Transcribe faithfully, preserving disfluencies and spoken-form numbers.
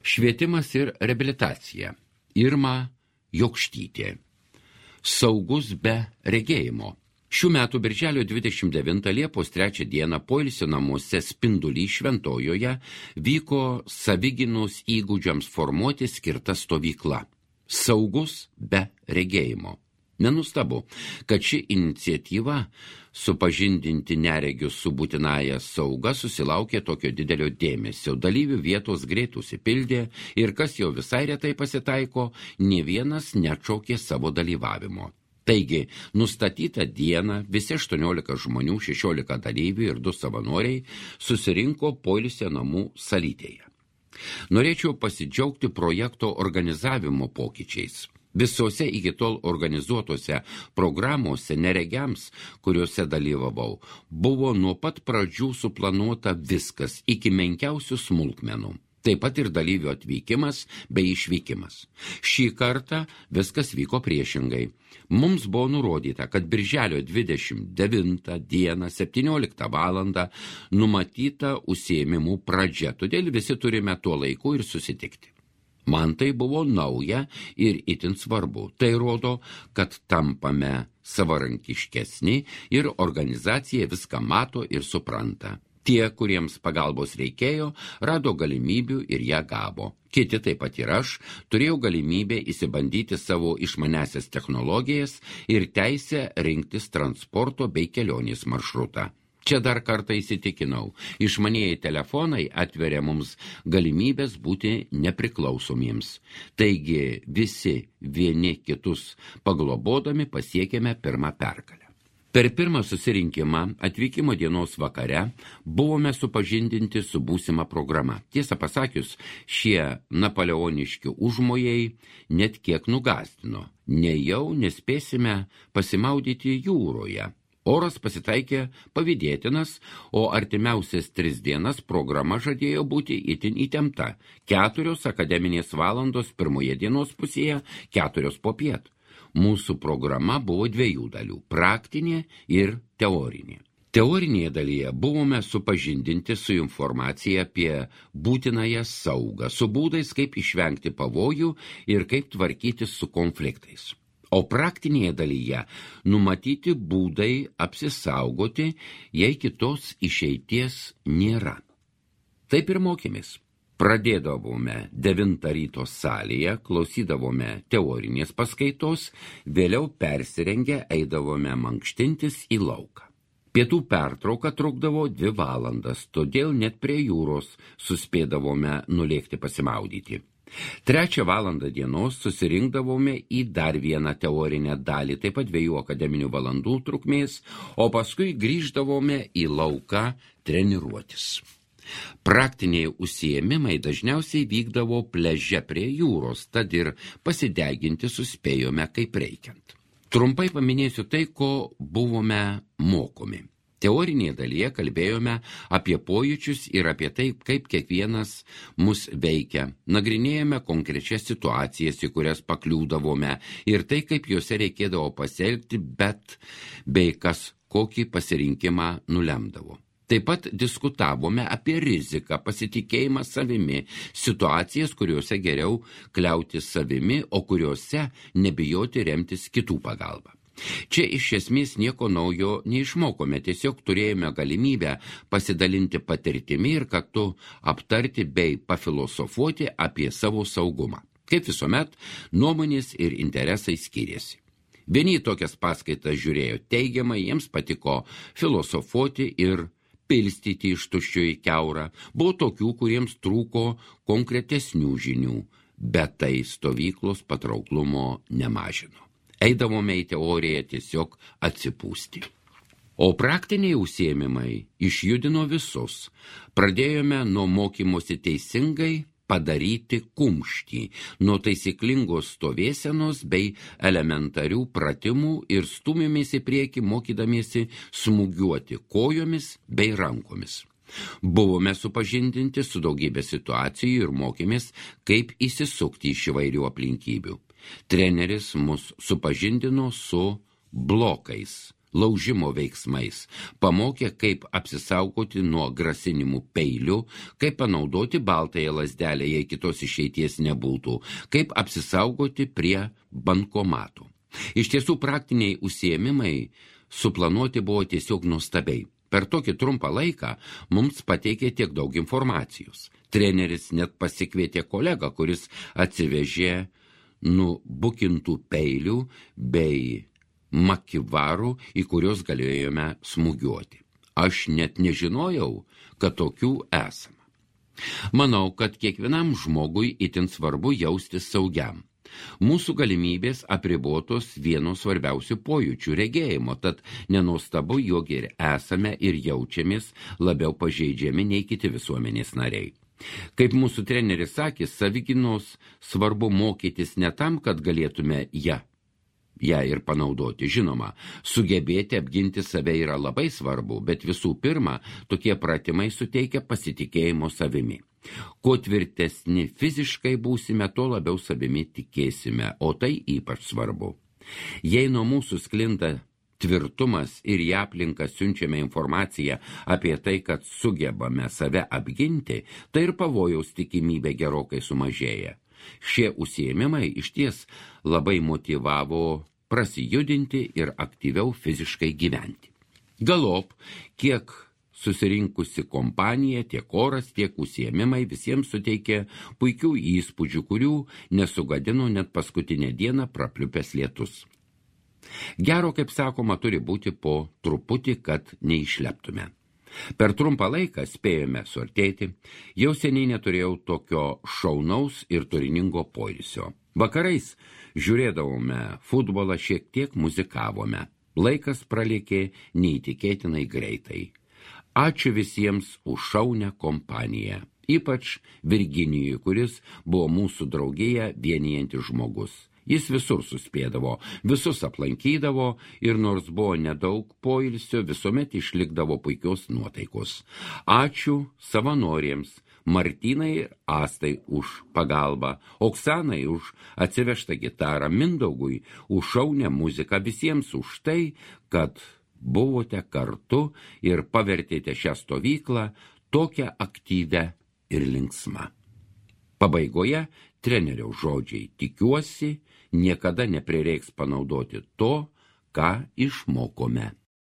Švietimas ir reabilitacija. Irma Jokštytė. Saugus be regėjimo. Šių metų birželio dvidešimt devintą Liepos trečią dieną poilsio namuose Spindulį Šventojoje vyko savigynos įgūdžiams formuoti skirta stovykla. Saugus be regėjimo. Nenustabu, kad ši iniciatyva supažindinti neregius su būtinąja sauga susilaukė tokio didelio dėmesio. Dalyvių vietos greit užsipildė ir kas jau visai retai pasitaiko, nė vienas neatšaukė savo dalyvavimo. Taigi, nustatytą dieną visi aštuoniolika žmonių, šešiolika dalyvių ir du savanoriai susirinko poilsio namų salytėje. Norėčiau pasidžiaugti projekto organizavimo pokyčiais. Visose iki tol organizuotose programuose neregiams, kuriuose dalyvavau, buvo nuo pat pradžių suplanuota viskas iki menkiausių smulkmenų. Taip pat ir dalyvių atvykimas bei išvykimas. Šį kartą viskas vyko priešingai. Mums buvo nurodyta, kad birželio dvidešimt devintą dieną septynioliktą valandą numatyta užsiėmimų pradžia, todėl visi turime tuo laiku ir susitikti. Man tai buvo nauja ir itin svarbu. Tai rodo, kad tampame savarankiškesni ir organizacija viską mato ir supranta. Tie, kuriems pagalbos reikėjo, rado galimybių ir ją gavo. Kiti, taip pat ir aš, turėjau galimybę įsibandyti savo išmanesias technologijas ir teisę rinktis transporto bei kelionės maršrutą. Čia dar kartą įsitikinau, išmanieji telefonai atveria mums galimybės būti nepriklausomiems. Taigi visi vieni kitus paglobodami pasiekėme pirmą pergalę. Per pirmą susirinkimą atvykimo dienos vakare buvome supažindinti su būsima programa. Tiesą pasakius, šie napoleoniški užmojai net kiek nugąsdino. Nejau nespėsime pasimaudyti jūroje. Oras pasitaikė pavydėtinas, o artimiausias tris dienas programa žadėjo būti itin įtempta. Keturios akademinės valandos pirmoje dienos pusėje, keturios popiet. Mūsų programa buvo dviejų dalių – praktinė ir teorinė. Teorinėje dalyje buvome supažindinti su informacija apie būtinąją saugą, su būdais, kaip išvengti pavojų ir kaip tvarkytis su konfliktais. O praktinėje dalyje numatyti būdai apsisaugoti, jei kitos išeities nėra. Taip ir mokėmės. Pradėdavome devintą ryto salėje, klausydavome teorinės paskaitos, vėliau persirengę eidavome mankštintis į lauką. Pietų pertrauka trukdavo dvi valandas, todėl net prie jūros suspėdavome nulėkti pasimaudyti. Trečią valandą dienos susirinkdavome į dar vieną teorinę dalį, taip pat dviejų akademinių valandų trukmės, o paskui grįždavome į lauką treniruotis. Praktiniai užsiėmimai dažniausiai vykdavo pliaže prie jūros, tad ir pasideginti suspėjome kaip reikiant. Trumpai paminėsiu tai, ko buvome mokomi. Teorinėje dalyje kalbėjome apie pojūčius ir apie tai, kaip kiekvienas mus veikia. Nagrinėjome konkrečias situacijas, į kurias pakliūdavome ir tai, kaip juose reikėdavo pasielgti, bet bei kas kokį pasirinkimą nulemdavo. Taip pat diskutavome apie riziką, pasitikėjimą savimi, situacijas, kuriuose geriau kliautis savimi, o kuriuose nebijoti remtis kitų pagalbą. Čia iš esmės nieko naujo neišmokome, tiesiog turėjome galimybę pasidalinti patirtimi ir kartu aptarti bei pafilosofuoti apie savo saugumą. Kaip visuomet, nuomonės ir interesai skiriasi. Vieni tokias paskaitas žiūrėjo teigiamai, jiems patiko filosofuoti ir pilstyti iš tuščio į kiaurą. Buvo tokių, kuriems trūko konkretesnių žinių, bet tai stovyklos patrauklumo nemažino. Eidavome į teoriją tiesiog atsipūsti. O praktiniai užsiėmimai išjudino visus. Pradėjome nuo mokymosi teisingai padaryti kumštį, nuo taisyklingos stovėsenos bei elementarių pratimų ir stumėmės į priekį mokydamiesi smūgiuoti kojomis bei rankomis. Buvome supažindinti su daugybė situacijų ir mokėmės, kaip įsisukti iš įvairių aplinkybių. Treneris mus supažindino su blokais, laužimo veiksmais, pamokė, kaip apsisaugoti nuo grasinimų peilių, kaip panaudoti baltąją lazdelę, jei kitos išeities nebūtų, kaip apsisaugoti prie bankomatų. Iš tiesų praktiniai užsiėmimai suplanuoti buvo tiesiog nuostabiai. Per tokį trumpą laiką mums pateikė tiek daug informacijos. Treneris net pasikvietė kolegą, kuris atsivežė nubukintų peilių bei makivarų, į kuriuos galėjome smūgiuoti. Aš net nežinojau, kad tokių esama. Manau, kad kiekvienam žmogui itin svarbu jaustis saugiam. Mūsų galimybės apribotos vieno svarbiausių pojūčių regėjimo, tad nenuostabu, jog ir esame ir jaučiamės labiau pažeidžiami nei kiti visuomenės nariai. Kaip mūsų treneris sakė, savigynos svarbu mokytis ne tam, kad galėtume ją, ją ir panaudoti. Žinoma, sugebėti apginti save yra labai svarbu, bet visų pirma, tokie pratimai suteikia pasitikėjimo savimi. Kuo tvirtesni fiziškai būsime, tuo labiau savimi tikėsime, o tai ypač svarbu. Jei nuo mūsų sklinda tvirtumas ir į aplinką siunčiame informaciją apie tai, kad sugebame save apginti, tai ir pavojaus tikimybė gerokai sumažėja. Šie užsiėmimai išties labai motyvavo prasijudinti ir aktyviau fiziškai gyventi. Galop, kiek susirinkusi kompanija, tiek oras, tiek užsiėmimai visiems suteikė puikių įspūdžių, kurių nesugadino net paskutinę dieną prapliupęs lietus. Gero, kaip sakoma, turi būti po truputį, kad neišleptume. Per trumpą laiką spėjome suartėti, jau seniai neturėjau tokio šaunaus ir turiningo poilsio. Vakarais žiūrėdavome futbolą, šiek tiek muzikavome. Laikas pralėkė neįtikėtinai greitai. Ačiū visiems už šaunią kompaniją, ypač Virginijui, kuris buvo mūsų draugėje vienijantis žmogus. Jis visur suspėdavo, visus aplankydavo ir nors buvo nedaug poilsio, visuomet išlikdavo puikios nuotaikos. Ačiū savanoriams, Martynai ir Astai už pagalbą, Oksanai už atsivežtą gitarą, Mindaugui už šaunią muziką, visiems už tai, kad buvote kartu ir pavertėte šią stovyklą tokią aktyvę ir linksmą. Pabaigoje trenerio žodžiai: tikiuosi, niekada neprireiks panaudoti to, ką išmokome.